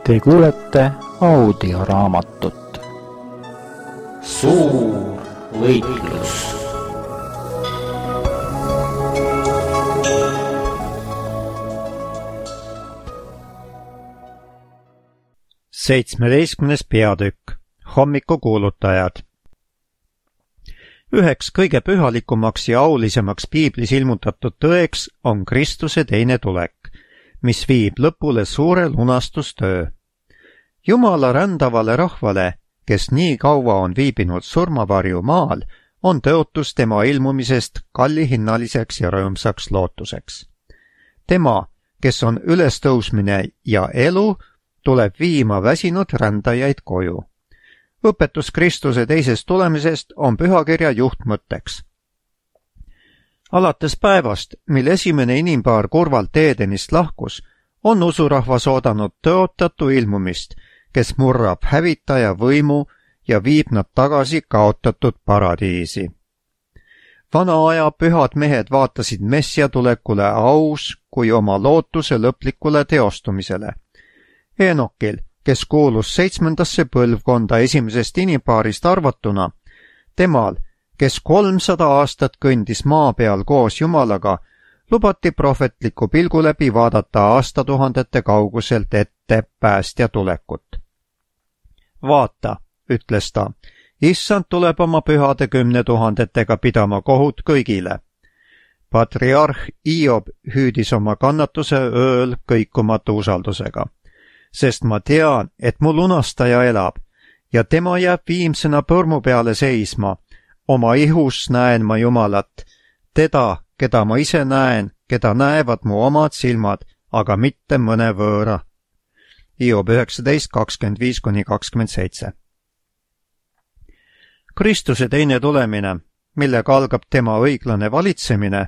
Te kuulete audioraamatut Suur võitlus. Seitsmeteistkümnes peatükk. Hommikukuulutajad. Üheks kõige pühalikumaks ja aulisemaks piiblis ilmutatud tõeks on Kristuse teine tulek, mis viib lõpule suure lunastustöö. Jumala rändavale rahvale, kes nii kaua on viibinud surmavarju maal, on tõotus tema ilmumisest kallihinnaliseks ja rõõmsaks lootuseks. Tema, kes on ülestõusmine ja elu, tuleb viima väsinud rändajaid koju. Õpetus Kristuse teisest tulemisest on pühakirja juhtmõtteks. Alates päevast, mil esimene inimpaar kurvalt Eedenist lahkus, on usurahvas oodanud tõotatu ilmumist, kes murrab hävitaja võimu ja viib nad tagasi kaotatud paradiisi. Vana aja pühad mehed vaatasid Messia tulekule aus kui oma lootuse lõplikule teostumisele. Enokil, kes kuulus 7. põlvkonda esimesest inimpaarist arvatuna, temal, kes 300 aastat kõndis maa peal koos Jumalaga, lubati prohvetliku pilgu läbi vaadata aastatuhandete kauguselt ette päästja tulekut. Vaata, ütles ta, issand tuleb oma pühade 10 000 pidama kohut kõigile. Patriarh Hiob hüüdis oma kannatuse ööl kõikumatu usaldusega. Sest ma tean, et mu lunastaja elab ja tema jääb viimsena põrmu peale seisma. Oma ihus näen ma Jumalat, teda, keda ma ise näen, keda näevad mu omad silmad, aga mitte mõne võõra. Hiob 19:25-27. Kristuse teine tulemine, millega algab tema õiglane valitsemine,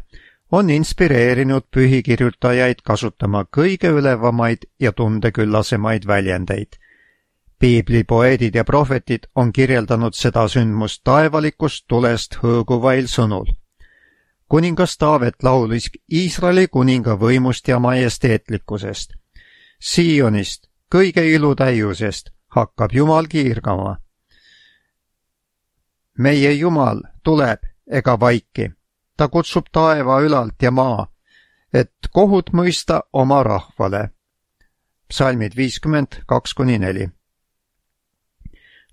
on inspireerinud pühikirjutajaid kasutama kõige ülevamaid ja tundeküllasemaid väljendeid. Piiblipoeedid ja prohvetid on kirjeldanud seda sündmust taevalikust tulest hõõguvail sõnul. Kuningas Taavet laulis Iisraeli kuninga võimust ja majesteetlikkusest. Siionist, kõige ilutäiusest, hakkab Jumal kiirgama. Meie Jumal tuleb ega vaiki. Ta kutsub taeva ülalt ja maa, et kohut mõista oma rahvale. Psalmid 52-4.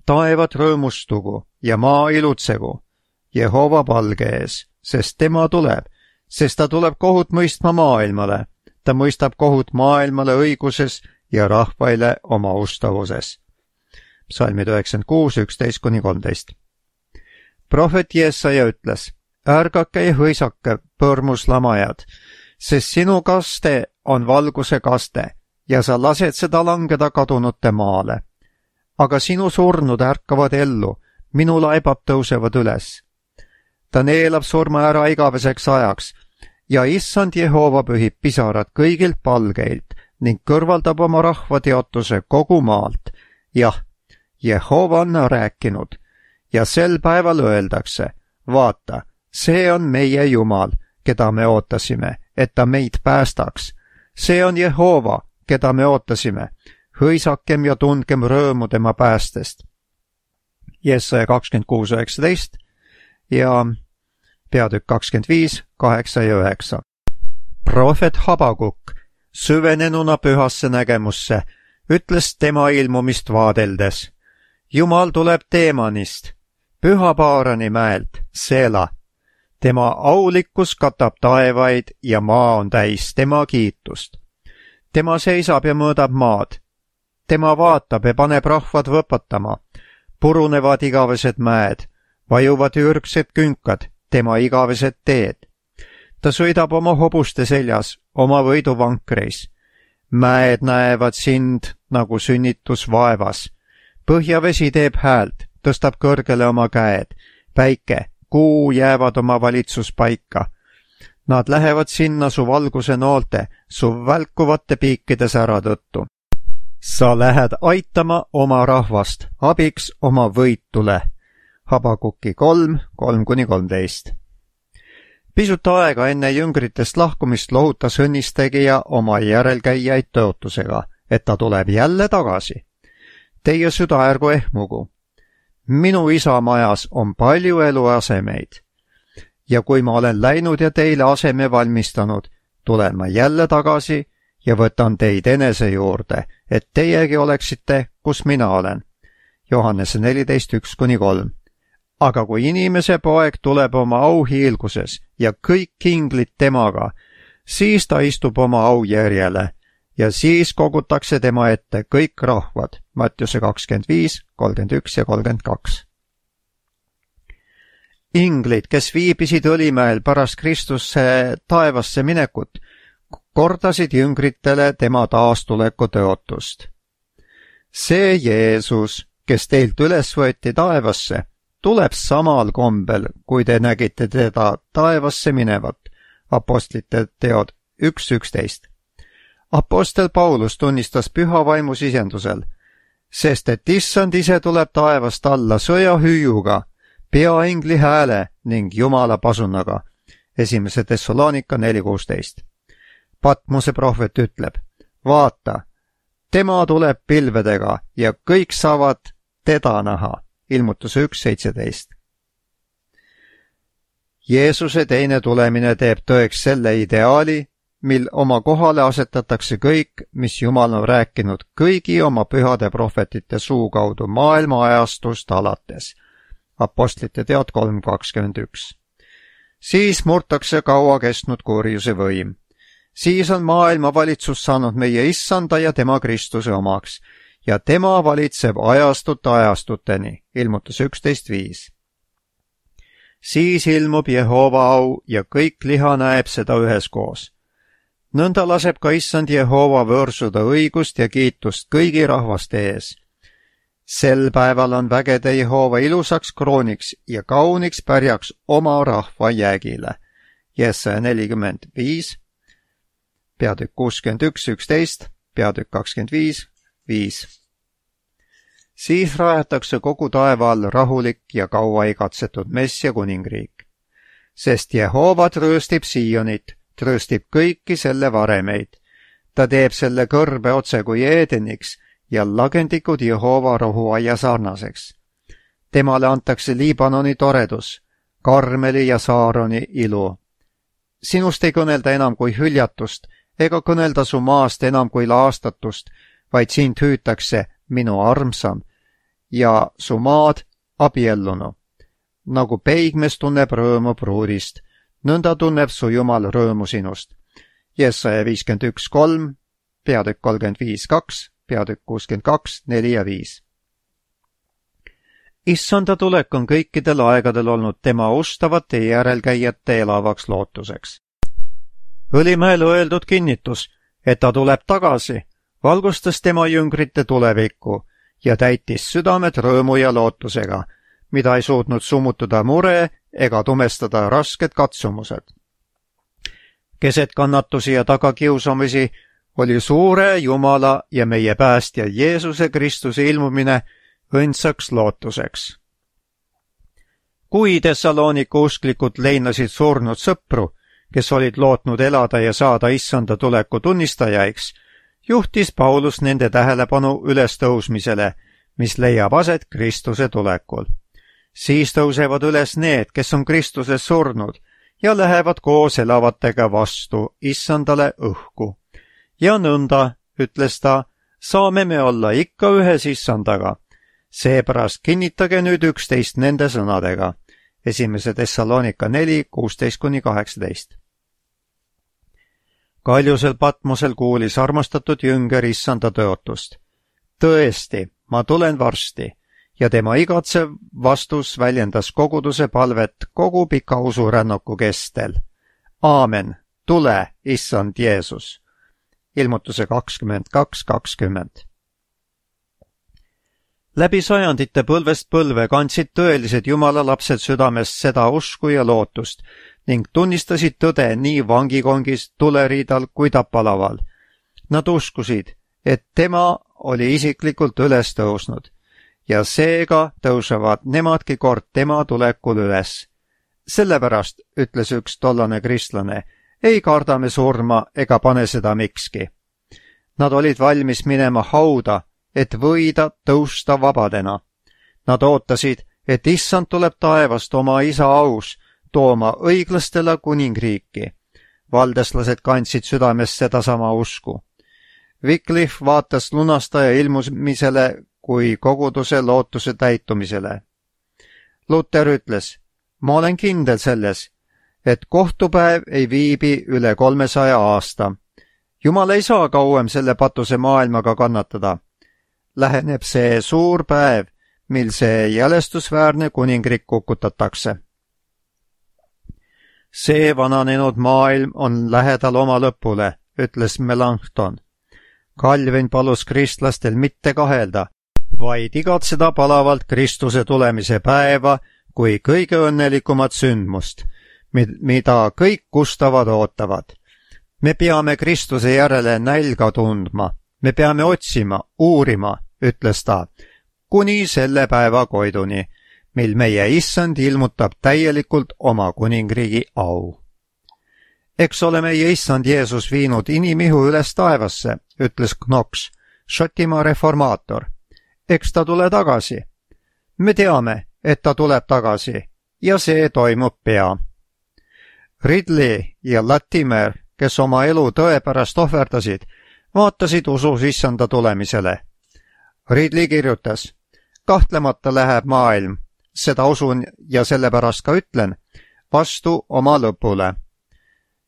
Taevad rõõmustugu ja maa ilutsegu Jehova palge ees, sest tema tuleb, sest ta tuleb kohut mõistma maailmale. Ta mõistab kohut maailmale õiguses ja rahvaile oma ustavuses. Psalmid 96-11-13. Prohvet Jesaja ütles, ärgake ja hõisake, põrmuslamajad, sest sinu kaste on valguse kaste ja sa lased seda langeda kadunute maale. Aga sinu surnud ärkavad ellu, minu laibad tõusevad üles. Ta neelab surma ära igaveseks ajaks ja issand Jehova pühib pisarad kõigilt palgeilt ning kõrvaldab oma rahva teotuse kogu maalt. Jah, Jehova on rääkinud ja sel päeval öeldakse, vaata, see on meie Jumal, keda me ootasime, et ta meid päästaks. See on Jehova, keda me ootasime. Hõisakem ja tundkem rõõmu tema päästest. Jesaja 26:19 ja peatükk 25, 8 ja 9. Prohvet Habakuk, süvenenuna pühasse nägemusse, ütles tema ilmumist vaadeldes. Jumal tuleb Teemanist, Pühapaarani mäelt, Seela. Tema aulikkus katab taevaid ja maa on täis tema kiitust. Tema seisab ja mõõdab maad. Tema vaatab ja paneb rahvad võpatama. Purunevad igavesed mäed, vajuvad ürgsed künkad, tema igavesed teed. Ta sõidab oma hobuste seljas, oma võiduvankreis. Mäed näevad sind nagu sünnitus vaevas. Põhjavesi teeb häält, tõstab kõrgele oma käed. Päike, kuu jäävad oma valitsuspaika. Nad lähevad sinna su valguse noolte, su välkuvate piikide sära tõttu. Sa lähed aitama oma rahvast, abiks oma võitule. Habakuki 3:3-13. Pisut aega enne jüngritest lahkumist lohutas õnnistegija oma järelkäijaid tõotusega, et ta tuleb jälle tagasi. Teie süda ärgu ehmugu. Minu isa majas on palju eluasemeid. Ja kui ma olen läinud ja teile aseme valmistanud, tulen ma jälle tagasi ja võtan teid enese juurde, et teiegi oleksite, kus mina olen. Johannese 14:1-3. Aga kui inimese poeg tuleb oma auhiilguses ja kõik inglid temaga, siis ta istub oma aujärjele ja siis kogutakse tema ette kõik rahvad. Mattiuse 25, 31 ja 32. Inglid, kes viibisid Õlimäel pärast Kristuse taevasse minekut, kordasid jüngritele tema taastuleku tõotust. See Jeesus, kes teilt üles võeti taevasse, tuleb samal kombel, kui te nägite teda taevasse minevat. Apostlite teod 1:11. Apostel Paulus tunnistas püha vaimu sisendusel, sest et issand ise tuleb taevast alla sõjahüüuga, peaingli hääle ning Jumala pasunaga. 1. Thessalonika 4:16. Patmose prohvet ütleb, vaata, tema tuleb pilvedega ja kõik saavad teda näha. Ilmutuse 1:17. Jeesuse teine tulemine teeb tõeks selle ideaali, mil oma kohale asetatakse kõik, mis Jumal on rääkinud kõigi oma pühade prohvetite suu kaudu maailma ajastust alates. Apostlite teod 3:21. Siis murtakse kaua kestnud kurjuse võim. Siis on maailma valitsus saanud meie issanda ja tema Kristuse omaks ja tema valitseb ajastut ajastuteni. Ilmutus 11:5. Siis ilmub Jehova au ja kõik liha näeb seda üheskoos. Nõnda laseb ka issand Jehova võõrsuda õigust ja kiitust kõigi rahvaste ees. Sel päeval on vägede Jehova ilusaks krooniks ja kauniks pärjaks oma rahva jäägile. Jesaja 45, peatükk 61:11, peatükk 25:5. Siis rajatakse kogu taeva all rahulik ja kaua igatsetud Messia kuningriik. Sest Jehova trööstib Siionit, trööstib kõiki selle varemeid. Ta teeb selle kõrbe otse kui Eedeniks ja lagendikud Jehova rohuaia sarnaseks. Temale antakse Liibanoni toredus, Karmeli ja Saaroni ilu. Sinust ei kõnelda enam kui hüljatust ega kõnelda su maast enam kui laastatust, vaid sind hüütakse minu armsam ja su maad abiellunu. Nagu peigmees tunneb rõõmu pruudist, nõnda tunneb su Jumal rõõmu sinust. Jesaja 51:3, peatükk 35:2, peatükk 62:4 ja 5. Issanda tulek on kõikidel aegadel olnud tema ustavate järelkäijate elavaks lootuseks. Õlimäel öeldud kinnitus, et ta tuleb tagasi, valgustas tema jüngrite tulevikku ja täitis südamed rõõmu ja lootusega, mida ei suutnud summutada mure ega tumestada rasked katsumused. Keset kannatusi ja tagakiusamisi oli suure Jumala ja meie päästja Jeesuse Kristuse ilmumine õndsaks lootuseks. Kui Thessaloniku usklikud leinasid surnud sõpru, kes olid lootnud elada ja saada issanda tuleku tunnistajaiks, juhtis Paulus nende tähelepanu ülestõusmisele, mis leiab aset Kristuse tulekul. Siis tõusevad üles need, kes on Kristuses surnud ja lähevad koos elavatega vastu issandale õhku. Ja nõnda, ütles ta, saame me olla ikka ühes issandaga. Seepärast kinnitage nüüd üksteist nende sõnadega. 1. Thessalonika 4:16-18. Kaljusel Patmosel kuulis armastatud jünger issanda tõotust. Tõesti, ma tulen varsti, ja tema igatsev vastus väljendas koguduse palvet kogu pika usurännaku kestel. Aamen, tule, issand Jeesus. Ilmutuse 22:20. Läbi sajandite põlvest põlve kandsid tõelised Jumala lapsed südamest seda usku ja lootust ning tunnistasid tõde nii vangikongis, tuleriidal kui tapalaval. Nad uskusid, et tema oli isiklikult üles tõusnud ja seega tõusevad nemadki kord tema tulekul üles. Sellepärast, ütles üks tollane kristlane, ei karda me surma ega pane seda mikski. Nad olid valmis minema hauda, et võida tõusta vabadena. Nad ootasid, et issand tuleb taevast oma isa aus tooma õiglastele kuningriiki. Valdeslased kandsid südames sedasama usku. Wycliffe vaatas lunastaja ilmumisele kui koguduse lootuse täitumisele. Luther ütles, ma olen kindel selles, et kohtupäev ei viibi üle 300 aasta. Jumal ei saa kauem selle patuse maailmaga kannatada. Läheneb see suur päev, mil see jälestusväärne kuningriik kukutatakse. See vananenud maailm on lähedal oma lõpule, ütles Melanchthon. Calvin palus kristlastel mitte kahelda, vaid igatseda palavalt Kristuse tulemise päeva kui kõige õnnelikumat sündmust, mida kõik kustavad ootavad. Me peame Kristuse järele nälga tundma, me peame otsima, uurima, ütles ta, kuni selle päeva koiduni, mil meie issand ilmutab täielikult oma kuningriigi au. Eks ole meie issand Jeesus viinud inimihu üles taevasse, ütles Knox, Šotimaa reformaator. Eks ta tule tagasi. Me teame, et ta tuleb tagasi ja see toimub pea. Ridley ja Latimer, kes oma elu tõe pärast ohverdasid, vaatasid usus issanda tulemisele. Ridley kirjutas, kahtlemata läheb maailm, seda usun ja sellepärast ka ütlen, vastu oma lõpule.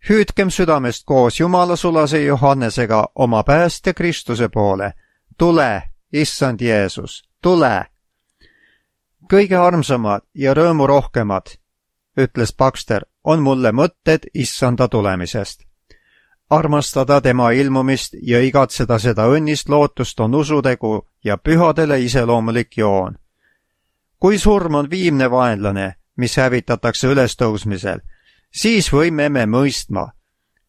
Hüüdkem südamest koos Jumala sulase Johannesega oma päästja Kristuse poole. Tule, issand Jeesus, tule! Kõige armsamad ja rõõmurohkemad, ütles Baxter, on mulle mõtted issanda tulemisest. Armastada tema ilmumist ja igatseda seda õnnist lootust on usutegu ja pühadele iseloomulik joon. Kui surm on viimne vaenlane, mis hävitatakse ülestõusmisel, siis võime me mõistma,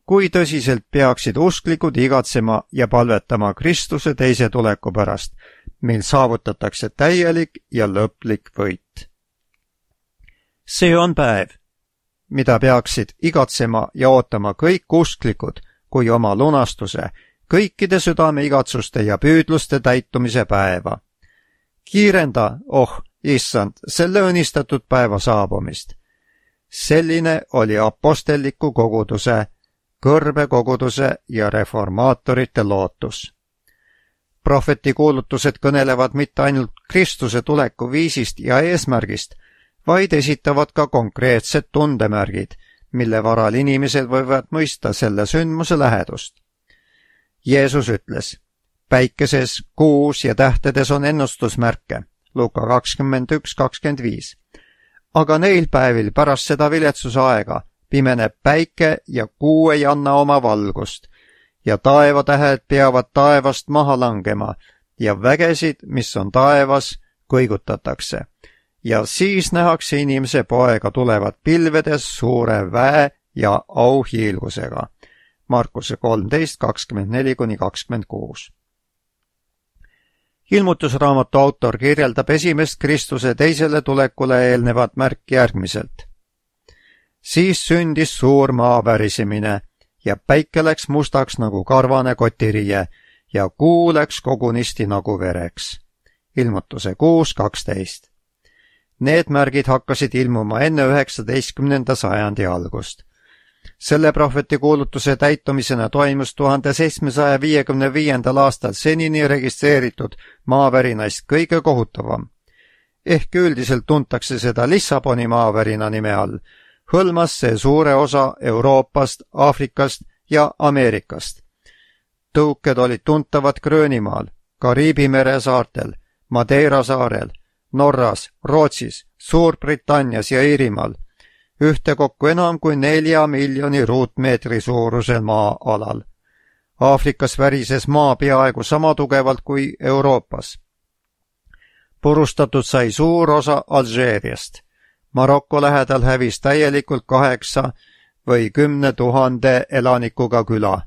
kui tõsiselt peaksid usklikud igatsema ja palvetama Kristuse teise tuleku pärast, mil saavutatakse täielik ja lõplik võit. See on päev, mida peaksid igatsema ja ootama kõik usklikud kui oma lunastuse, kõikide südame igatsuste ja püüdluste täitumise päeva. Kiirenda, issand, selle õnnistatud päeva saabumist. Selline oli apostelliku koguduse, kõrbekoguduse ja reformaatorite lootus. Prohveti kuulutused kõnelevad mitte ainult Kristuse tuleku viisist ja eesmärgist, vaid esitavad ka konkreetsed tundemärgid, mille varal inimesed võivad mõista selle sündmuse lähedust. Jeesus ütles, päikeses, kuus ja tähtedes on ennustusmärke, Luka 21:25. Aga neil päevil pärast seda viletsuse aega pimeneb päike ja kuu ei anna oma valgust ja taevatähed peavad taevast maha langema ja vägesid, mis on taevas, kõigutatakse. Ja siis nähakse inimese poega tulevat pilvedes suure väe ja auhiilgusega. Markuse 13:24-26. Ilmutusraamatu autor kirjeldab esimest Kristuse teisele tulekule eelnevat märki järgmiselt. Siis sündis suur maa värisemine ja päike läks mustaks nagu karvane kotiriie ja kuu läks kogunisti nagu vereks. Ilmutuse 6:12. Need märgid hakkasid ilmuma enne 19. sajandi algust. Selle prohveti kuulutuse täitumisena toimus 1755. aastal senini registreeritud maavärinaist kõige kohutavam. Ehk üldiselt tuntakse seda Lissaboni maavärina nime all, hõlmas see suure osa Euroopast, Aafrikast ja Ameerikast. Tõuked olid tuntavad Gröönimaal, Kariibi mere saartel, Madeira saarel, Norras, Rootsis, Suurbritannias ja Iirimaal, ühtekokku enam kui 4 miljoni ruutmeetri suurusel maa-alal. Aafrikas värises maa peaaegu sama tugevalt kui Euroopas. Purustatud sai suur osa Alžeeriast. Maroko lähedal hävis täielikult 8 või 10 000 elanikuga küla.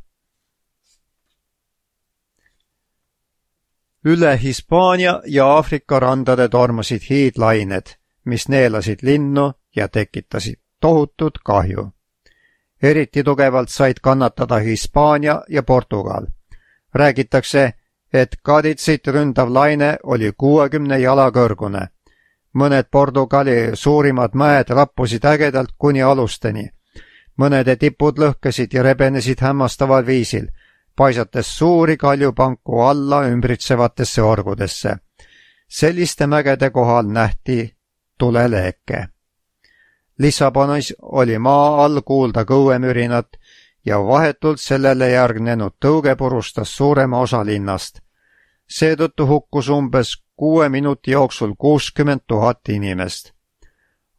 Üle Hispaania ja Aafrika randade tormasid hiidlained, mis neelasid linnu ja tekitasid tohutut kahju. Eriti tugevalt said kannatada Hispaania ja Portugal. Räägitakse, et Kaditsit ründav laine oli 60 jala kõrgune. Mõned Portugali suurimad mäed rappusid ägedalt kuni alusteni. Mõnede tipud lõhkesid ja rebenesid hämmastaval viisil, paisates suuri kaljupanku alla ümbritsevatesse orgudesse. Selliste mägede kohal nähti tuleleeke. Lissabonis oli maa all kuulda kõuemürinat ja vahetult sellele järgnenud tõuge purustas suurema osa linnast. Seetõttu hukkus umbes 6 minuti jooksul 60 000 inimest.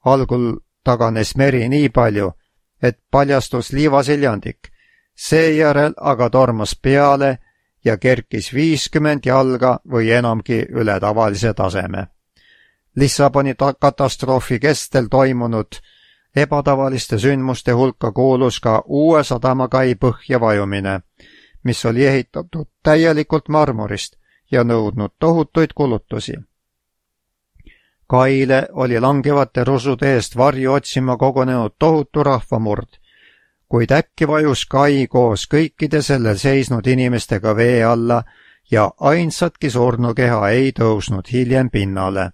Algul taganes meri nii palju, et paljastus liivaseljandik, seejärel aga tormas peale ja kerkis 50 jalga või enamgi üle tavalise taseme. Lissaboni katastroofi kestel toimunud ebatavaliste sündmuste hulka kuulus ka uue sadamakai põhja vajumine, mis oli ehitatud täielikult marmorist ja nõudnud tohutuid kulutusi. Kaile oli langevate rusude eest varju otsima kogunenud tohutu rahvamurd, kuid äkki vajus kai koos kõikide sellel seisnud inimestega vee alla ja ainsatki surnukeha ei tõusnud hiljem pinnale.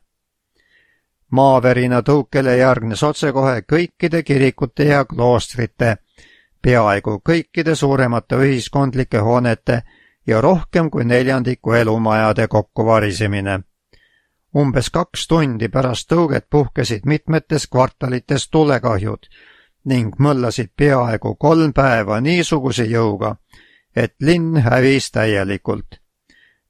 Maavärina tõukele järgnes otsekohe kõikide kirikute ja kloostrite, peaaegu kõikide suuremate ühiskondlike hoonete ja rohkem kui 1/4 elumajade kokkuvarisemine. Umbes 2 tundi pärast tõuget puhkesid mitmetes kvartalites tulekahjud ning mõllasid peaaegu 3 päeva niisuguse jõuga, et linn hävis täielikult.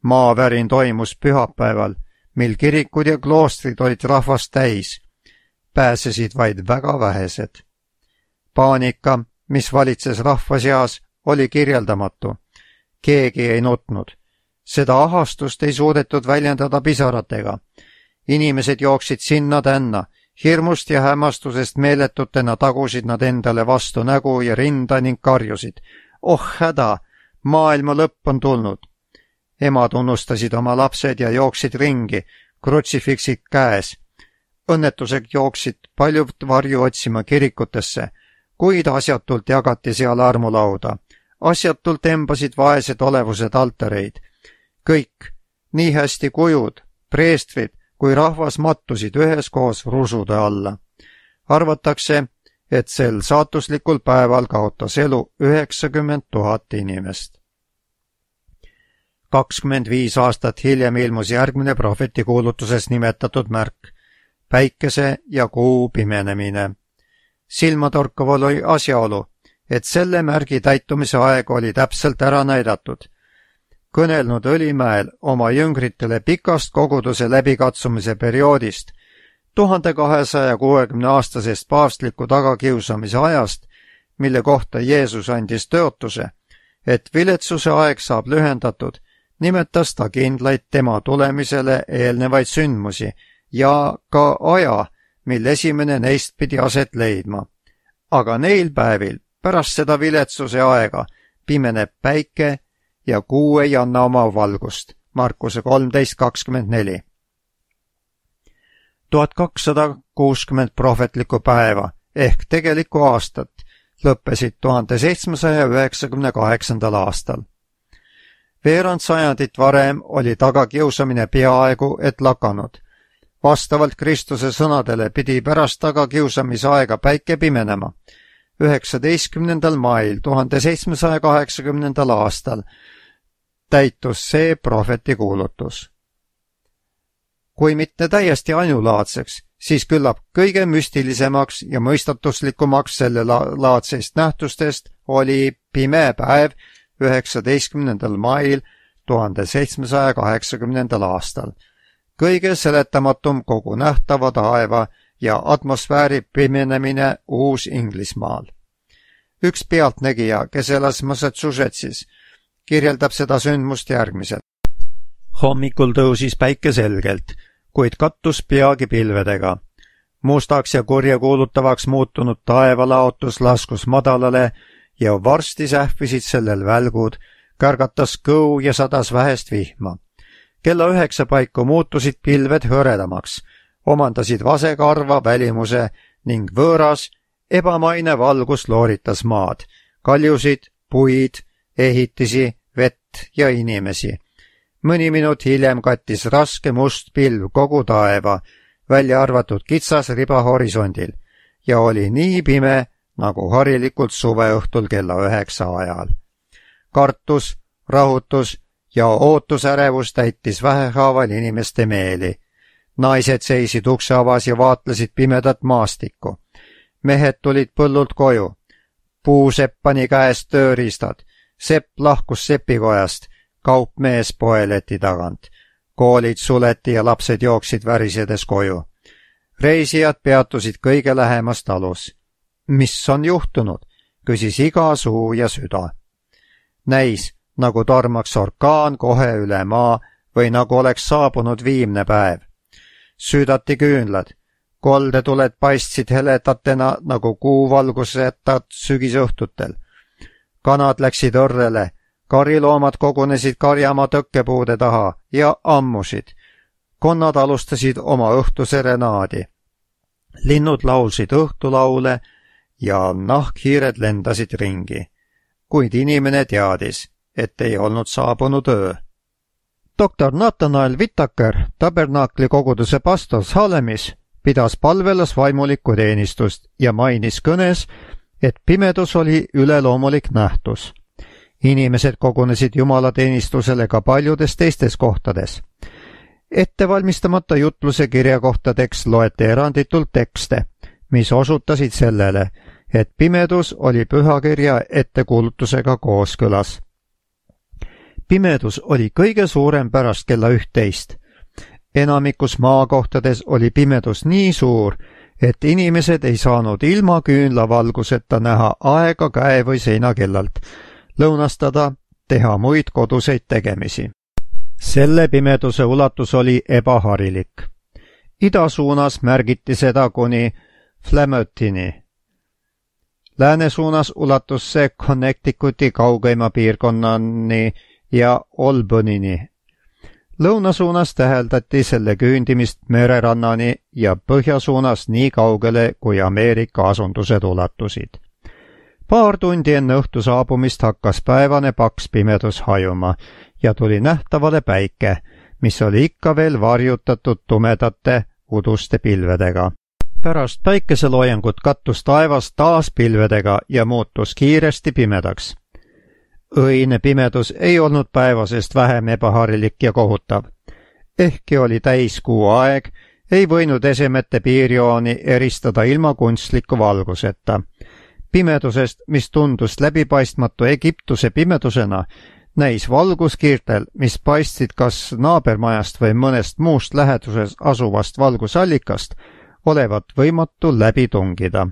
Maavärin toimus pühapäeval, mil kirikud ja kloostrid olid rahvast täis. Pääsesid vaid väga vähesed. Paanika, mis valitses rahva seas, oli kirjeldamatu. Keegi ei nutnud. Seda ahastust ei suudetud väljendada pisaratega. Inimesed jooksid sinna-tänna, hirmust ja hämmastusest meeletutena tagusid nad endale vastu nägu ja rinda ning karjusid. Oh häda, maailma lõpp on tulnud. Emad unustasid oma lapsed ja jooksid ringi, krutsifiksid käes. Õnnetusega jooksid paljud varju otsima kirikutesse, kuid asjatult jagati seal armulauda. Asjatult embasid vaesed olevused altareid. Kõik, nii hästi kujud, preestrid kui rahvas mattusid üheskoos rusude alla. Arvatakse, et sel saatuslikul päeval kaotas elu 90 000 inimest. 25 aastat hiljem ilmus järgmine prohveti kuulutuses nimetatud märk, päikese ja kuu pimenemine. Silmatorkav oli asjaolu, et selle märgi täitumise aeg oli täpselt ära näidatud. Kõnelnud Õlimäel oma jüngritele pikast koguduse läbikatsumise perioodist, 1260-aastasest paavstliku tagakiusamise ajast, mille kohta Jeesus andis tõotuse, et viletsuse aeg saab lühendatud, nimetas ta kindlaid tema tulemisele eelnevaid sündmusi ja ka aja, mil esimene neist pidi aset leidma. Aga neil päevil pärast seda viletsuse aega pimeneb päike ja kuu ei anna oma valgust. Markuse 13:24. 1260 prohvetlikku päeva ehk tegelikku aastat lõppesid 1798. aastal. Veerand sajandit varem oli tagakiusamine peaaegu et lakanud. Vastavalt Kristuse sõnadele pidi pärast tagakiusamise aega päike pimenema. 19. mail 1780. aastal täitus see prohveti kuulutus. Kui mitte täiesti ainulaadseks, siis küllap kõige müstilisemaks ja mõistatuslikumaks selle laadsest nähtustest oli pime päev 19. mail 1780. aastal. Kõige seletamatum kogu nähtava taeva ja atmosfääri pimenemine Uus-Inglismaal. Üks pealtnägija, kes elas Massachusettsis, kirjeldab seda sündmust järgmiselt. Hommikul tõusis päike selgelt, kuid kattus peagi pilvedega. Mustaks ja kurjakuulutavaks muutunud taevalaotus laskus madalale ja varsti sähvisid sellel välgud, kärgatas kõu ja sadas vähest vihma. Kella 9 paiku muutusid pilved hõredamaks, omandasid vasekarva välimuse ning võõras, ebamaine valgus looritas maad, kaljusid, puid, ehitisi, vett ja inimesi. Mõni minut hiljem kattis raske must pilv kogu taeva, välja arvatud kitsas riba horisondil, ja oli nii pime, nagu harilikult suveõhtul kella 9 ajal. Kartus, rahutus ja ootusärevus täitis vähehaaval inimeste meeli. Naised seisid ukse avas ja vaatlesid pimedat maastikku. Mehed tulid põllult koju. Puusepp pani käest tööriistad. Sepp lahkus sepikojast, kaupmees poeleti tagant. Koolid suleti ja lapsed jooksid värisedes koju. Reisijad peatusid kõige lähemas talus. Mis on juhtunud? Küsis iga suu ja süda. Näis, nagu tormaks orkaan kohe üle maa või nagu oleks saabunud viimne päev. Süüdati küünlad. Koldetuled paistsid heledatena nagu kuuvalgusetad sügisõhtutel. Kanad läksid õrrele, kariloomad kogunesid karjamaa tõkkepuude taha ja ammusid. Konnad alustasid oma õhtuserenaadi. Linnud laulsid õhtulaule ja nahkhiired lendasid ringi. Kuid inimene teadis, et ei olnud saabunud öö. Doktor Nathanael Whittaker, tabernaakli koguduse pastor Salemis, pidas palvelas vaimulikku teenistust ja mainis kõnes, et pimedus oli üleloomulik nähtus. Inimesed kogunesid jumalateenistusele ka paljudes teistes kohtades. Ettevalmistamata jutluse kirjakohtadeks loeti eranditult tekste, mis osutasid sellele, et pimedus oli pühakirja ettekuulutusega kooskõlas. Pimedus oli kõige suurem pärast kella 11. Enamikus maakohtades oli pimedus nii suur, et inimesed ei saanud ilma küünlavalguseta näha aega käe või seinakellalt, lõunastada, teha muid koduseid tegemisi. Selle pimeduse ulatus oli ebaharilik. Ida suunas märgiti seda kuni Flamertini. Lääne suunas ulatus see Connecticuti kaugeima piirkonnani ja Albanyni. Lõuna suunas täheldati selle küündimist mererannani ja põhja suunas nii kaugele, kui Ameerika asundused ulatusid. Paar tundi enne õhtu saabumist hakkas päevane paks pimedus hajuma ja tuli nähtavale päike, mis oli ikka veel varjutatud tumedate uduste pilvedega. Pärast päikeseloojangut kattus taevas taas pilvedega ja muutus kiiresti pimedaks. Õine pimedus ei olnud päevasest vähem ebaharilik ja kohutav. Ehkki oli täiskuu aeg, ei võinud esemete piirjooni eristada ilma kunstliku valguseta. Pimedusest, mis tundus läbipaistmatu Egiptuse pimedusena, näis valguskiirtel, mis paistsid kas naabermajast või mõnest muust läheduses asuvast valgusallikast, olevat võimatu läbi tungida.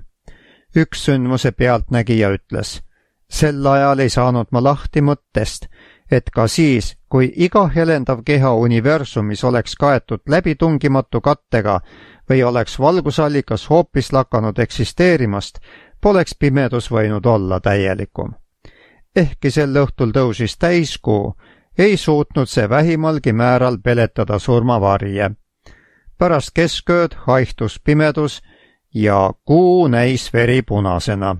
Üks sündmuse pealtnägija ütles: sel ajal ei saanud ma lahti mõttest, et ka siis, kui iga helendav keha universumis oleks kaetud läbitungimatu kattega või oleks valgusallikas hoopis lakanud eksisteerimast, poleks pimedus võinud olla täielikum. Ehkki sel õhtul tõusis täiskuu, ei suutnud see vähimalgi määral peletada surmavarje. Pärast keskööd haihtus pimedus ja kuu näis veripunasena.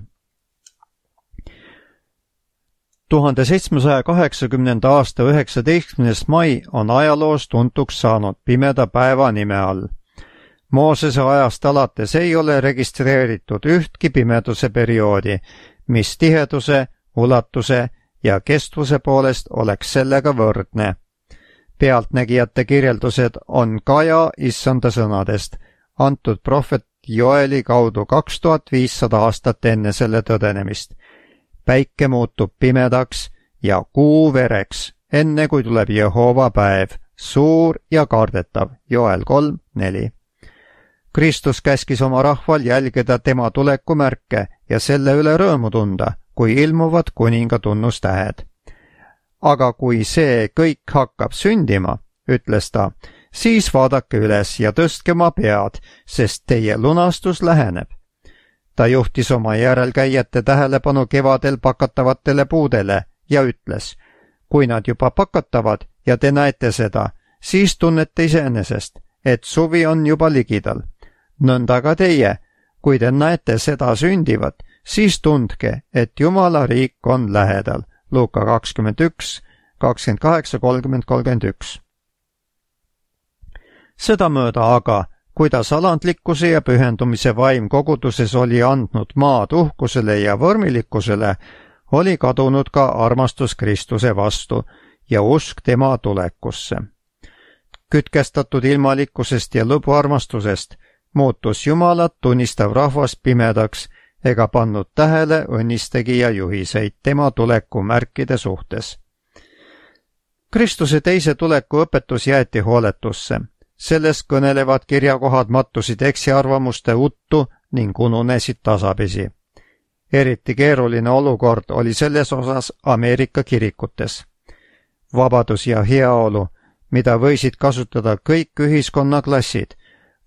1780. aasta 19. mai on ajaloos tuntuks saanud pimeda päeva nime all. Moosese ajast alates ei ole registreeritud ühtki pimeduse perioodi, mis tiheduse, ulatuse ja kestvuse poolest oleks sellega võrdne. Pealtnägijate kirjeldused on Kaja issanda sõnadest, antud prohvet Joeli kaudu 2500 aastat enne selle tõdenemist. Päike muutub pimedaks ja kuu vereks, enne kui tuleb Jehova päev, suur ja kardetav, Joel 3:4. Kristus käskis oma rahval jälgida tema tulekumärke ja selle üle rõõmu tunda, kui ilmuvad kuninga tunnustähed. Aga kui see kõik hakkab sündima, ütles ta, siis vaadake üles ja tõstke oma pead, sest teie lunastus läheneb. Ta juhtis oma järelkäijate tähelepanu kevadel pakatavatele puudele ja ütles: kui nad juba pakatavad ja te näete seda, siis tunnete iseenesest, et suvi on juba ligidal. Nõnda ka teie, kui te näete seda sündivat, siis tundke, et Jumala riik on lähedal. Luuka 21, 28, 30, 31. Sedamööda aga, kuidas alandlikkuse ja pühendumise vaim koguduses oli andnud maad uhkusele ja vormilikkusele, oli kadunud ka armastus Kristuse vastu ja usk tema tulekusse. Kütkestatud ilmalikkusest ja lõbuarmastusest muutus Jumalat tunnistav rahvas pimedaks ega pannud tähele õnnistegija juhiseid tema tuleku märkide suhtes. Kristuse teise tuleku õpetus jäeti hooletusse. Sellest kõnelevad kirjakohad mattusid eksiarvamuste uttu ning ununesid tasapisi. Eriti keeruline olukord oli selles osas Ameerika kirikutes. Vabadus ja heaolu, mida võisid kasutada kõik ühiskonnaklassid,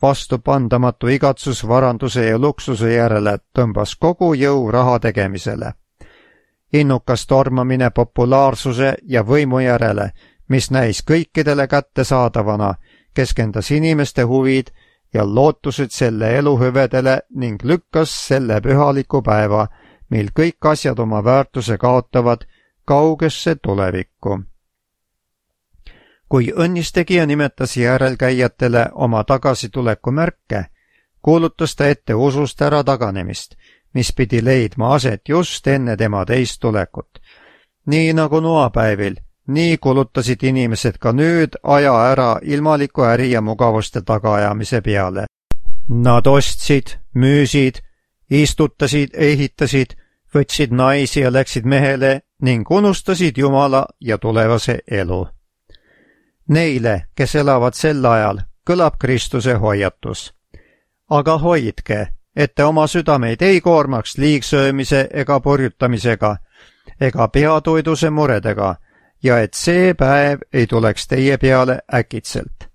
vastupandamatu igatsus varanduse ja luksuse järele tõmbas kogu jõu raha tegemisele. Innukas tormamine populaarsuse ja võimu järele, mis näis kõikidele kättesaadavana, keskendas inimeste huvid ja lootused selle elu hüvedele ning lükkas selle pühaliku päeva, mil kõik asjad oma väärtuse kaotavad, kaugesse tulevikku. Kui õnnistegija nimetas järelkäijatele oma tagasituleku märke, kuulutas ta ette usust ära taganemist, mis pidi leidma aset just enne tema teist tulekut. Nii nagu noapäevil, nii kulutasid inimesed ka nüüd aja ära ilmaliku äri ja mugavuste tagaajamise peale. Nad ostsid, müüsid, istutasid, ehitasid, võtsid naisi ja läksid mehele ning unustasid Jumala ja tulevase elu. Neile, kes elavad sel ajal, kõlab Kristuse hoiatus. Aga hoidke, et te oma südameid ei koormaks liigsöömise ega purjutamisega ega peatoiduse muredega ja et see päev ei tuleks teie peale äkitselt.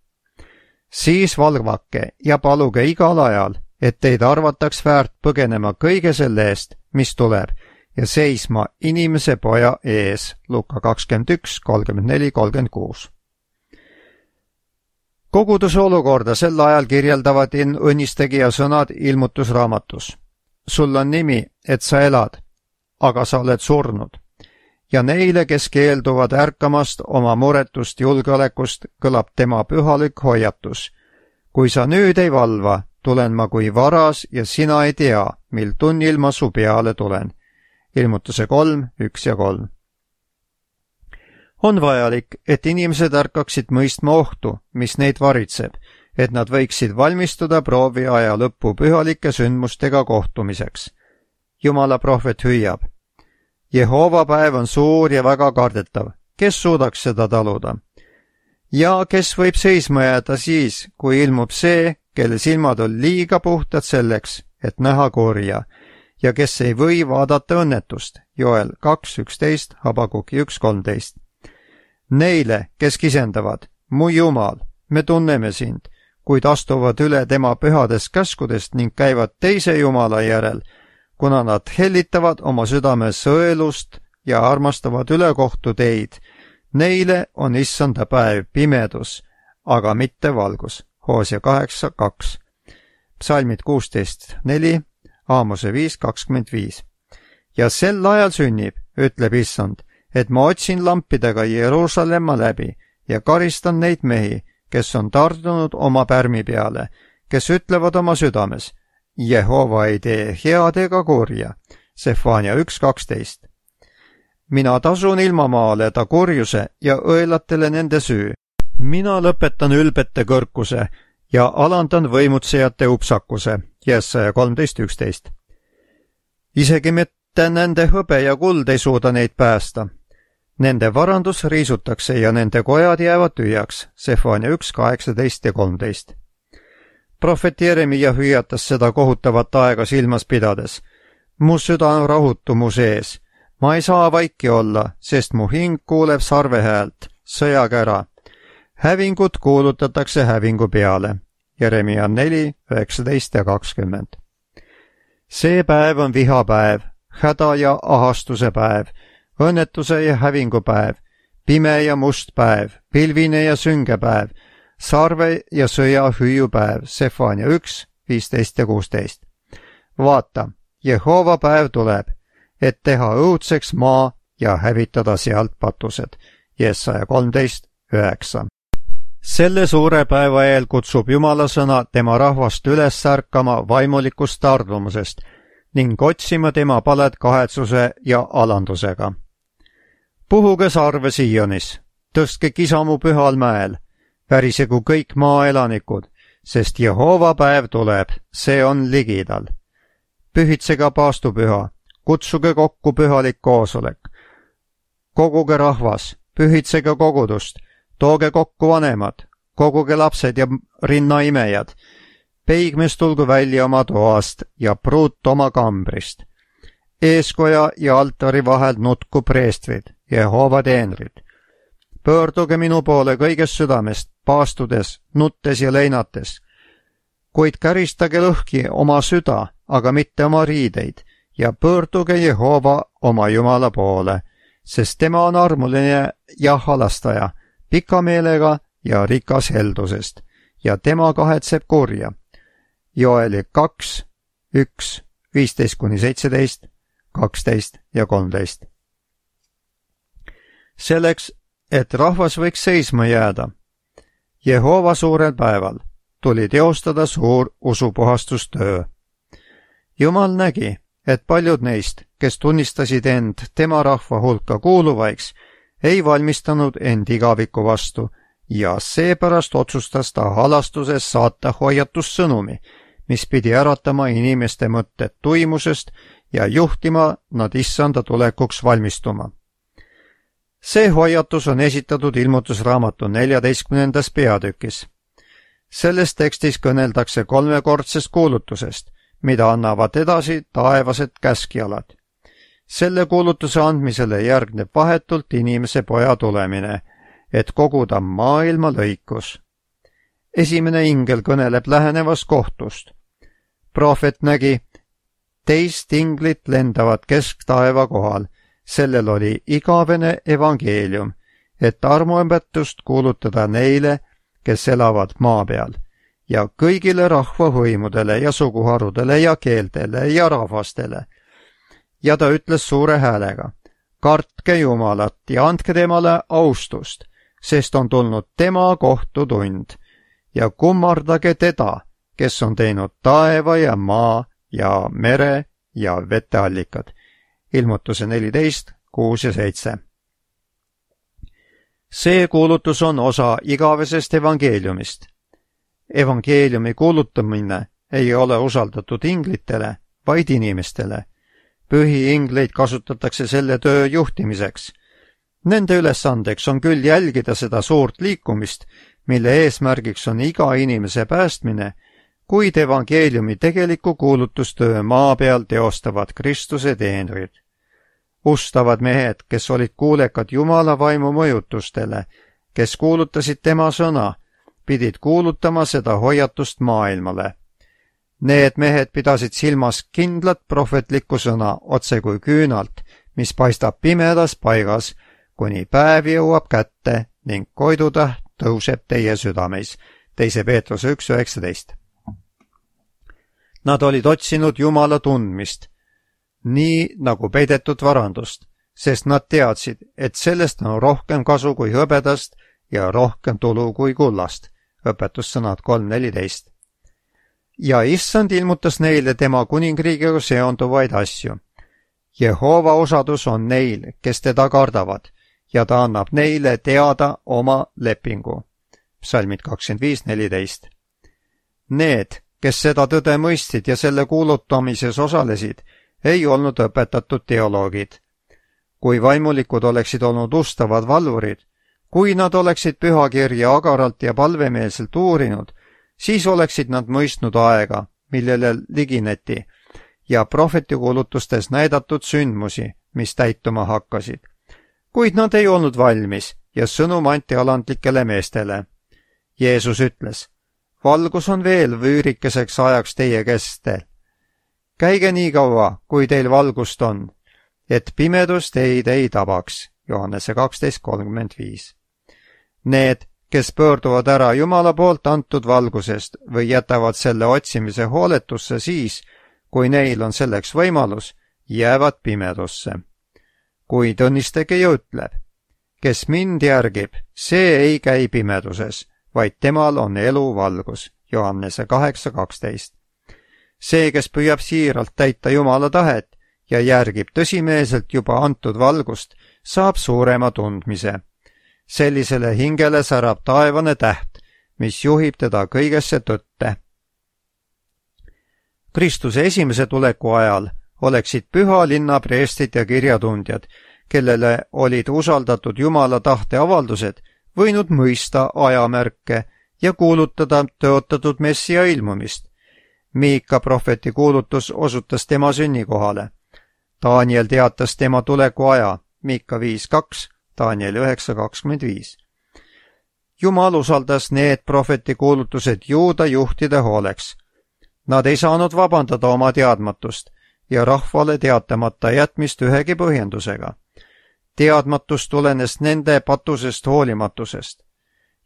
Siis valvake ja paluge igal ajal, et teid arvataks väärt põgenema kõige selle eest, mis tuleb, ja seisma inimese poja ees. Luka 21, 34, 36. Koguduse olukorda sel ajal kirjeldavad õnnistegija sõnad ilmutusraamatus. Sul on nimi, et sa elad, aga sa oled surnud. Ja neile, kes keelduvad ärkamast oma muretust julgeolekust, kõlab tema pühalik hoiatus. Kui sa nüüd ei valva, tulen ma kui varas ja sina ei tea, mil tunnil ma su peale tulen. Ilmutuse 3, 1 ja 3. On vajalik, et inimesed ärkaksid mõistma ohtu, mis neid varitseb, et nad võiksid valmistuda proovi aja lõppu pühalike sündmustega kohtumiseks. Jumala prohvet hüüab. Jehova päev on suur ja väga kardetav. Kes suudaks seda taluda? Ja kes võib seisma jääda siis, kui ilmub see, kelle silmad on liiga puhtad selleks, et näha kurja, ja kes ei või vaadata õnnetust? Joel 2.11, Habakuki 1.13. Neile, kes kisendavad, mu Jumal, me tunneme sind, kuid astuvad üle tema pühadest käskudest ning käivad teise Jumala järel, kuna nad hellitavad oma südame sõelust ja armastavad ülekohtu teid. Neile on issanda päev pimedus, aga mitte valgus. Hoosia 8.2. Psalmid 16.4, Aamose 5.25. Ja sel ajal sünnib, ütleb issand, et ma otsin lampidega Jeruusalemma läbi ja karistan neid mehi, kes on tardunud oma pärmi peale, kes ütlevad oma südames, Jehova ei tee head ega kurja. Sefania 1.12. Mina tasun ilmamaale ta kurjuse ja õelatele nende süü. Mina lõpetan ülbete kõrkuse ja alandan võimutsejate upsakuse. Jesaja 13.11. Isegi mitte nende hõbe ja kuld ei suuda neid päästa. Nende varandus riisutakse ja nende kojad jäävad tühjaks. Sefania 1.18 ja 13. Prohvet Jeremia hüüatas seda kohutavat aega silmas pidades. Mu süda on rahutu mu sees. Ma ei saa vaiki olla, sest mu hing kuuleb sarvehäält, sõjakära. Hävingut kuulutatakse hävingu peale. Jeremia 4, 19 ja 20. See päev on vihapäev, häda ja ahastuse päev, õnnetuse ja hävingu päev, pime ja must päev, pilvine ja sünge päev, sarve ja sõja hüüupäev. Sefania 1, 15 ja 16. vaata, Jehova päev tuleb, et teha õudseks maa ja hävitada sealt patused. Jesaja 13:9. Selle suure päeva eel kutsub Jumala sõna tema rahvast üles ärkama vaimulikust tardumusest ning otsima tema palet kahetsuse ja alandusega. Puhuge sarve Sionis, tõstke kisamu pühal mäel, värisegu kõik maaelanikud, sest Jehova päev tuleb, see on ligidal. Pühitsege paastupüha, kutsuge kokku pühalik koosolek. Koguge rahvas, pühitsege kogudust, tooge kokku vanemad, koguge lapsed ja rinnaimejad. Peigmees tulgu välja oma toast ja pruut oma kambrist. Eeskoja ja altari vahel nutku preestrid, Jehova teenrid. Pöörduge minu poole kõigest südamest, paastudes, nuttes ja leinates. Kuid käristage lõhki oma süda, aga mitte oma riideid, ja pöörduge Jehova oma Jumala poole, sest tema on armuline ja halastaja, pika meelega ja rikas heldusest, ja tema kahetseb kurja. Joeli 2:1, 15-17, 12 ja 13. Selleks, et rahvas võiks seisma jääda, Jehova suurel päeval tuli teostada suur usupuhastustöö. Jumal nägi, et paljud neist, kes tunnistasid end tema rahva hulka kuuluvaiks, ei valmistanud end igaviku vastu ja seepärast otsustas ta halastuses saata hoiatussõnumi, mis pidi äratama inimeste mõtted tuimusest ja juhtima nad issanda tulekuks valmistuma. See hoiatus on esitatud ilmutusraamatu 14. peatükis. Selles tekstis kõneldakse kolmekordsest kuulutusest, mida annavad edasi taevased käskjalad. Selle kuulutuse andmisele järgneb vahetult inimese poja tulemine, et koguda maailma lõikus. Esimene ingel kõneleb lähenevast kohtust. Prohvet nägi, teist inglit lendavat kesktaeva kohal, sellel oli igavene evangeelium, et armuõpetust kuulutada neile, kes elavad maa peal, ja kõigile rahvahõimudele ja suguharudele ja keeltele ja rahvastele. Ja ta ütles suure häälega, kartke Jumalat ja andke temale austust, sest on tulnud tema kohtutund, ja kummardage teda, kes on teinud taeva ja maa ja mere ja veteallikad. Ilmutuse 14, 6 ja 7. See kuulutus on osa igavesest evangeeliumist. Evangeeliumi kuulutamine ei ole usaldatud inglitele, vaid inimestele. Pühiingleid kasutatakse selle töö juhtimiseks. Nende ülesandeks on küll jälgida seda suurt liikumist, mille eesmärgiks on iga inimese päästmine, kuid evangeeliumi tegeliku kuulutustöö maa peal teostavad Kristuse teenrid. Ustavad mehed, kes olid kuulekad Jumala vaimu mõjutustele, kes kuulutasid tema sõna, pidid kuulutama seda hoiatust maailmale. Need mehed pidasid silmas kindlat prohvetlikku sõna otse kui küünalt, mis paistab pimedas paigas, kuni päev jõuab kätte ning koidutäht tõuseb teie südameis. 2. Peetruse 1:19. Nad olid otsinud Jumala tundmist, nii nagu peidetud varandust, sest nad teadsid, et sellest on rohkem kasu kui hõbedast ja rohkem tulu kui kullast. Õpetussõnad 3:14. Ja issand ilmutas neile tema kuningriigiga seonduvaid asju. Jehova osadus on neil, kes teda kardavad, ja ta annab neile teada oma lepingu. Psalmid 25:14. Need, kes seda tõde mõistsid ja selle kuulutamises osalesid, ei olnud õpetatud teoloogid. Kui vaimulikud oleksid olnud ustavad valvurid, kui nad oleksid pühakirja agaralt ja palvemeelselt uurinud, siis oleksid nad mõistnud aega, millele ligineti, ja prohvetikuulutustes näidatud sündmusi, mis täituma hakkasid. Kuid nad ei olnud valmis ja sõnum anti alandlikele meestele. Jeesus ütles, valgus on veel vüürikeseks ajaks teie kestel. Käige nii kaua, kui teil valgust on, et pimedus teid ei tabaks. Johannese 12:35. Need, kes pöörduvad ära Jumala poolt antud valgusest või jätavad selle otsimise hooletusse siis, kui neil on selleks võimalus, jäävad pimedusse. Kuid õnnistage ja ütleb, kes mind järgib, see ei käi pimeduses, vaid temal on elu valgus. Johannese 8:12. See, kes püüab siiralt täita Jumala tahet ja järgib tõsimeelselt juba antud valgust, saab suurema tundmise. Sellisele hingele särab taevane täht, mis juhib teda kõigesse tõtte. Kristuse esimese tuleku ajal oleksid püha linna preestrid ja kirjatundjad, kellele olid usaldatud Jumala tahte avaldused, võinud mõista ajamärke ja kuulutada tõotatud messia ilmumist. Miika prohveti kuulutus osutas tema sünnikohale. Daniel teatas tema tuleku aja, Miika 5:2, Daniel 9:25. Jumal usaldas need prohveti kuulutused juuda juhtide hooleks. Nad ei saanud vabandada oma teadmatust ja rahvale teatamata jätmist ühegi põhjendusega. Teadmatus tulenes nende patusest hoolimatusest.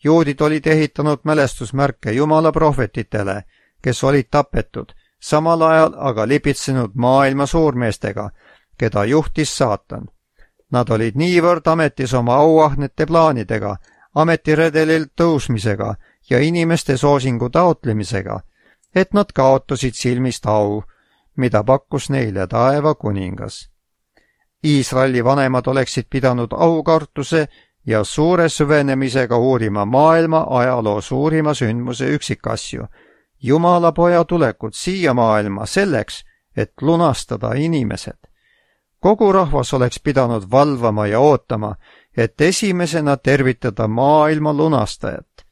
Juudid olid ehitanud mälestusmärke Jumala prohvetitele, kes olid tapetud, samal ajal aga lipitsenud maailma suurmeestega, keda juhtis saatan. Nad olid niivõrd ametis oma auahnete plaanidega, ametiredelil tõusmisega ja inimeste soosingu taotlemisega, et nad kaotasid silmist au, mida pakkus neile taeva kuningas. Iisraeli vanemad oleksid pidanud aukartuse ja suure süvenemisega uurima maailma ajaloo suurima sündmuse üksikasju, Jumala poja tulekut siia maailma selleks, et lunastada inimesed. Kogu rahvas oleks pidanud valvama ja ootama, et esimesena tervitada maailma lunastajat.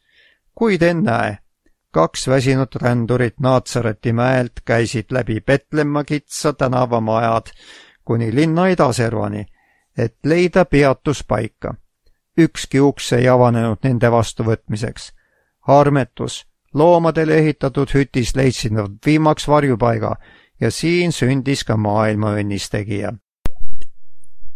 Kuid ennäe, 2 väsinud rändurit Naatsareti mäelt käisid läbi Petlemma kitsa tänavamajad kuni linna idaservani, et leida peatuspaika. Ükski uks ei avanenud nende vastuvõtmiseks. Armetus, loomadele ehitatud hütis leidsid nad viimaks varjupaiga ja siin sündis ka maailma õnnistegija.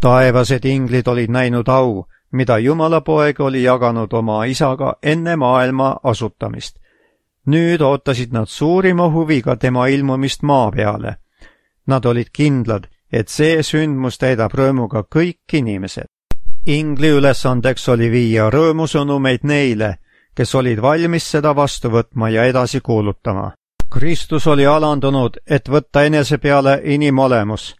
Taevased inglid olid näinud au, mida Jumala poeg oli jaganud oma isaga enne maailma asutamist. Nüüd ootasid nad suurima huviga tema ilmumist maa peale. Nad olid kindlad, et see sündmus täidab rõõmuga kõik inimesed. Ingli ülesandeks oli viia rõõmusõnumeid neile, kes olid valmis seda vastu võtma ja edasi kuulutama. Kristus oli alandunud, et võtta enese peale inimolemus.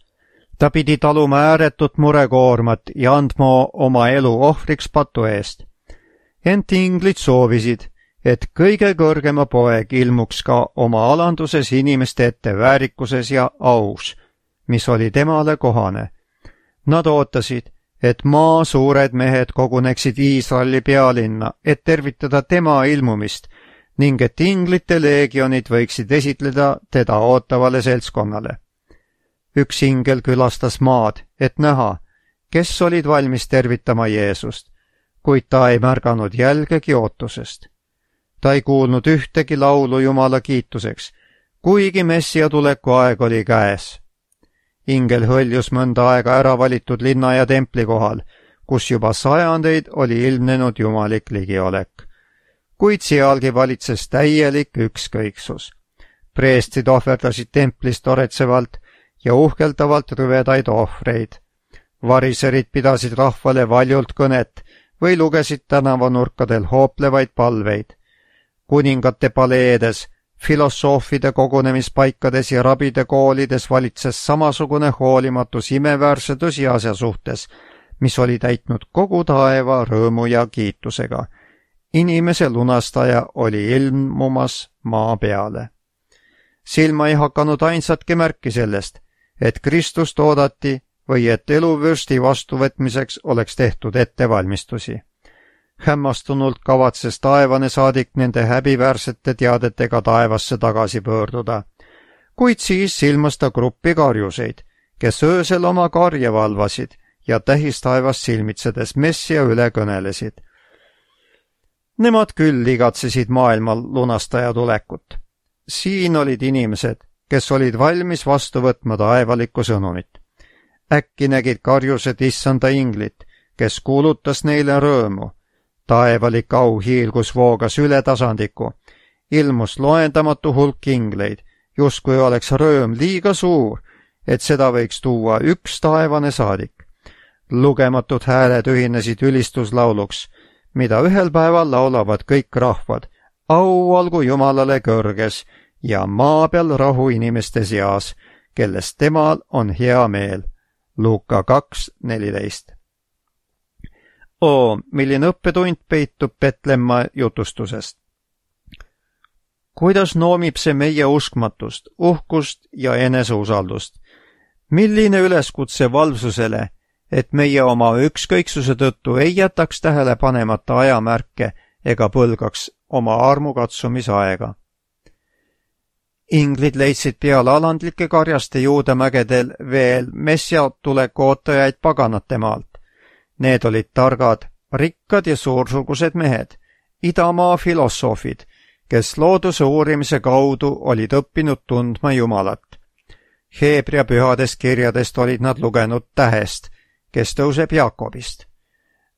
Ta pidi taluma ääretut murekoormat ja andma oma elu ohvriks patu eest. Ent inglid soovisid, et kõige kõrgema poeg ilmuks ka oma alanduses inimeste ette väärikuses ja aus, mis oli temale kohane. Nad ootasid, et maa suured mehed koguneksid Iisraeli pealinna, et tervitada tema ilmumist ning et inglite leegionid võiksid esitleda teda ootavale seltskonnale. Üks ingel külastas maad, et näha, kes olid valmis tervitama Jeesust, kuid ta ei märganud jälgegi ootusest. Ta ei kuulnud ühtegi laulu Jumala kiituseks, kuigi messia tuleku aeg oli käes. Ingel hõljus mõnda aega ära valitud linna ja templi kohal, kus juba sajandeid oli ilmnenud jumalik ligiolek. Kuid sealgi valitses täielik ükskõiksus. Preestrid ohverdasid templis toretsevalt ja uhkeldavalt rüvedaid ohvreid. Variserid pidasid rahvale valjult kõnet või lugesid tänavanurkadel hooplevaid palveid. Kuningate paleedes, filosoofide kogunemispaikades ja rabide koolides valitses samasugune hoolimatus imeväärse tõsiasja suhtes, mis oli täitnud kogu taeva rõõmu ja kiitusega. Inimese lunastaja oli ilmumas maa peale. Silma ei hakanud ainsatki märki sellest, et Kristust oodati või et eluvürsti vastuvõtmiseks oleks tehtud ettevalmistusi. Hämmastunult kavatses taevane saadik nende häbiväärsete teadetega taevasse tagasi pöörduda, kuid siis silmas ta gruppi karjuseid, kes öösel oma karja valvasid ja tähistaevast silmitsedes messia üle kõnelesid. Nemad küll igatsesid maailma lunastaja tulekut. Siin olid inimesed, kes olid valmis vastu võtma taevalikku sõnumit. Äkki nägid karjused issanda inglit, kes kuulutas neile rõõmu. Taevalik au hiilgus voogas üle tasandiku, ilmus loendamatu hulk ingleid justkui oleks rõõm liiga suur, et seda võiks tuua üks taevane saadik. Lugematud hääled ühinesid ülistuslauluks, mida ühel päeval laulavad kõik rahvad. Au olgu Jumalale kõrges ja maa peal rahu inimeste seas, kellest temal on hea meel. Luuka 2:14. Milline õppetund peitub Petlemma jutustusest. Kuidas noomib see meie uskmatust, uhkust ja eneseusaldust? Milline üleskutse valvsusele, et meie oma ükskõiksuse tõttu ei jätaks tähele panemata ajamärke ega põlgaks oma armukatsumisaega. Inglid leidsid peale alandlike karjaste Juudamägedel veel Messia tuleku ootajaid paganate maalt. Need olid targad, rikkad ja suursugused mehed, idamaa filosoofid, kes looduse uurimise kaudu olid õppinud tundma Jumalat. Heebrea pühadest kirjadest olid nad lugenud tähest, kes tõuseb Jaakobist.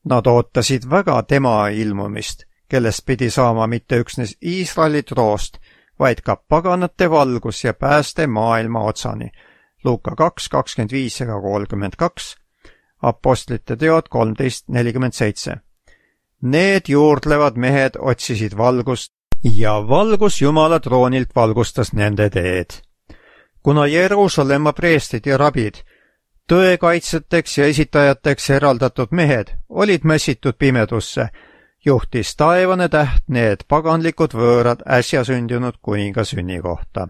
Nad ootasid väga tema ilmumist, kellest pidi saama mitte üksnes Iisraeli troost, vaid ka paganate valgus ja pääste maailma otsani. Luuka 2:25-32, Apostlite teod 13:47. Need juurdlevad mehed otsisid valgust ja valgus Jumala troonilt valgustas nende teed. Kuna Jeruusalemma preestrid ja rabid, tõekaitsjateks ja esitajateks eraldatud mehed, olid mässitud pimedusse, juhtis taevane täht need paganlikud võõrad äsja sündinud kuninga sünnikohta.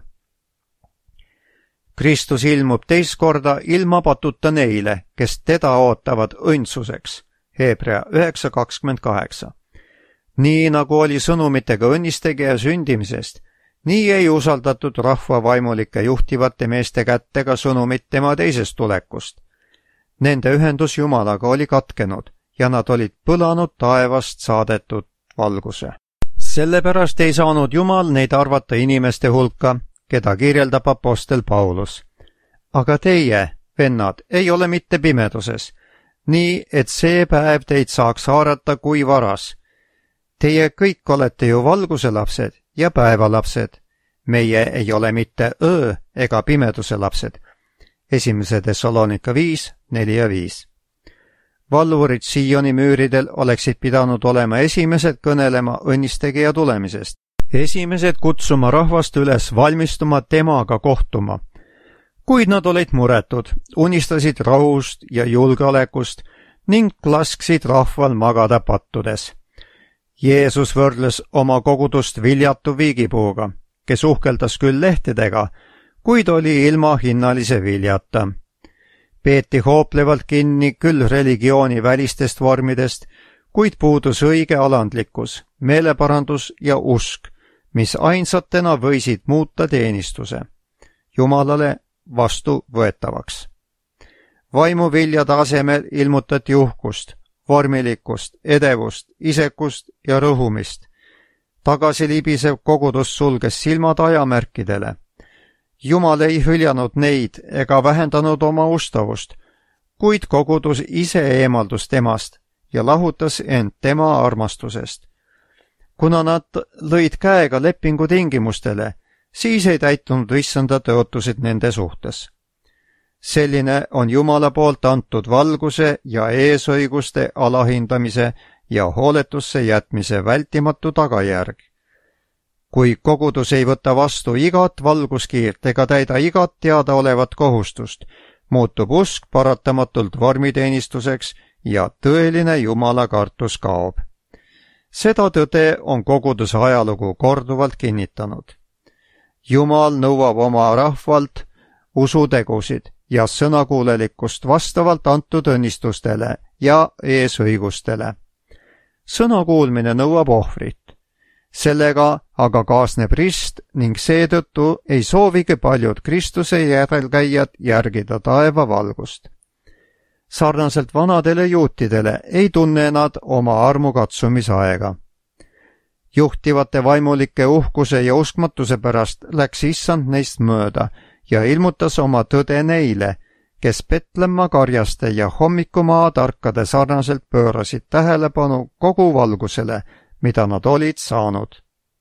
Kristus ilmub teist korda ilma patuta neile, kes teda ootavad õndsuseks. Heebrea 9:28. Nii nagu oli sõnumitega õnnistegija sündimisest, nii ei usaldatud rahva vaimulike juhtivate meeste kätte ka sõnumit tema teisest tulekust. Nende ühendus Jumalaga oli katkenud ja nad olid põlanud taevast saadetud valguse. Sellepärast ei saanud Jumal neid arvata inimeste hulka, keda kirjeldab apostel Paulus. Aga teie, vennad, ei ole mitte pimeduses, nii et see päev teid saaks haarata kui varas. Teie kõik olete ju valguse lapsed ja päevalapsed. Meie ei ole mitte öö ega pimeduse lapsed. 1. Thessalonika 5:4-5. Valvurid Sioni müüridel oleksid pidanud olema esimesed kõnelema õnnistegija tulemisest. Esimesed kutsuma rahvast üles valmistuma temaga kohtuma. Kuid nad olid muretud, unistasid rahust ja julgeolekust ning lasksid rahval magada pattudes. Jeesus võrdles oma kogudust viljatu viigipuuga, kes uhkeldas küll lehtedega, kuid oli ilma hinnalise viljata. Peeti hooplevalt kinni küll religiooni välistest vormidest, kuid puudus õige alandlikkus, meeleparandus ja usk, mis ainsatena võisid muuta teenistuse Jumalale vastuvõetavaks. Vaimuviljade asemel ilmutati uhkust, vormilikkust, edevust, isekust ja rõhumist. Tagasilibisev kogudus sulges silmad ajamärkidele. Jumal ei hüljanud neid ega vähendanud oma ustavust, kuid kogudus ise eemaldus temast ja lahutas end tema armastusest. Kuna nad lõid käega lepingu tingimustele, siis ei täitunud issanda tõotused nende suhtes. Selline on Jumala poolt antud valguse ja eesõiguste alahindamise ja hooletusse jätmise vältimatu tagajärg. Kui kogudus ei võta vastu igat valguskiirt ega täida igat teadaolevat kohustust, muutub usk paratamatult vormiteenistuseks ja tõeline Jumala kartus kaob. Seda tõde on koguduse ajalugu korduvalt kinnitanud. Jumal nõuab oma rahvalt usutegusid ja sõnakuulelikkust vastavalt antud õnnistustele ja eesõigustele. Sõnakuulmine nõuab ohvrit. Sellega aga kaasneb rist ning seetõttu ei soovigi paljud Kristuse järelkäijad järgida taeva valgust. Sarnaselt vanadele juutidele ei tunne nad oma armukatsumisaega. Juhtivate vaimulike uhkuse ja uskmatuse pärast läks issand neist mööda ja ilmutas oma tõde neile, kes Petlemma karjaste ja hommikumaa tarkade sarnaselt pöörasid tähelepanu kogu valgusele, mida nad olid saanud.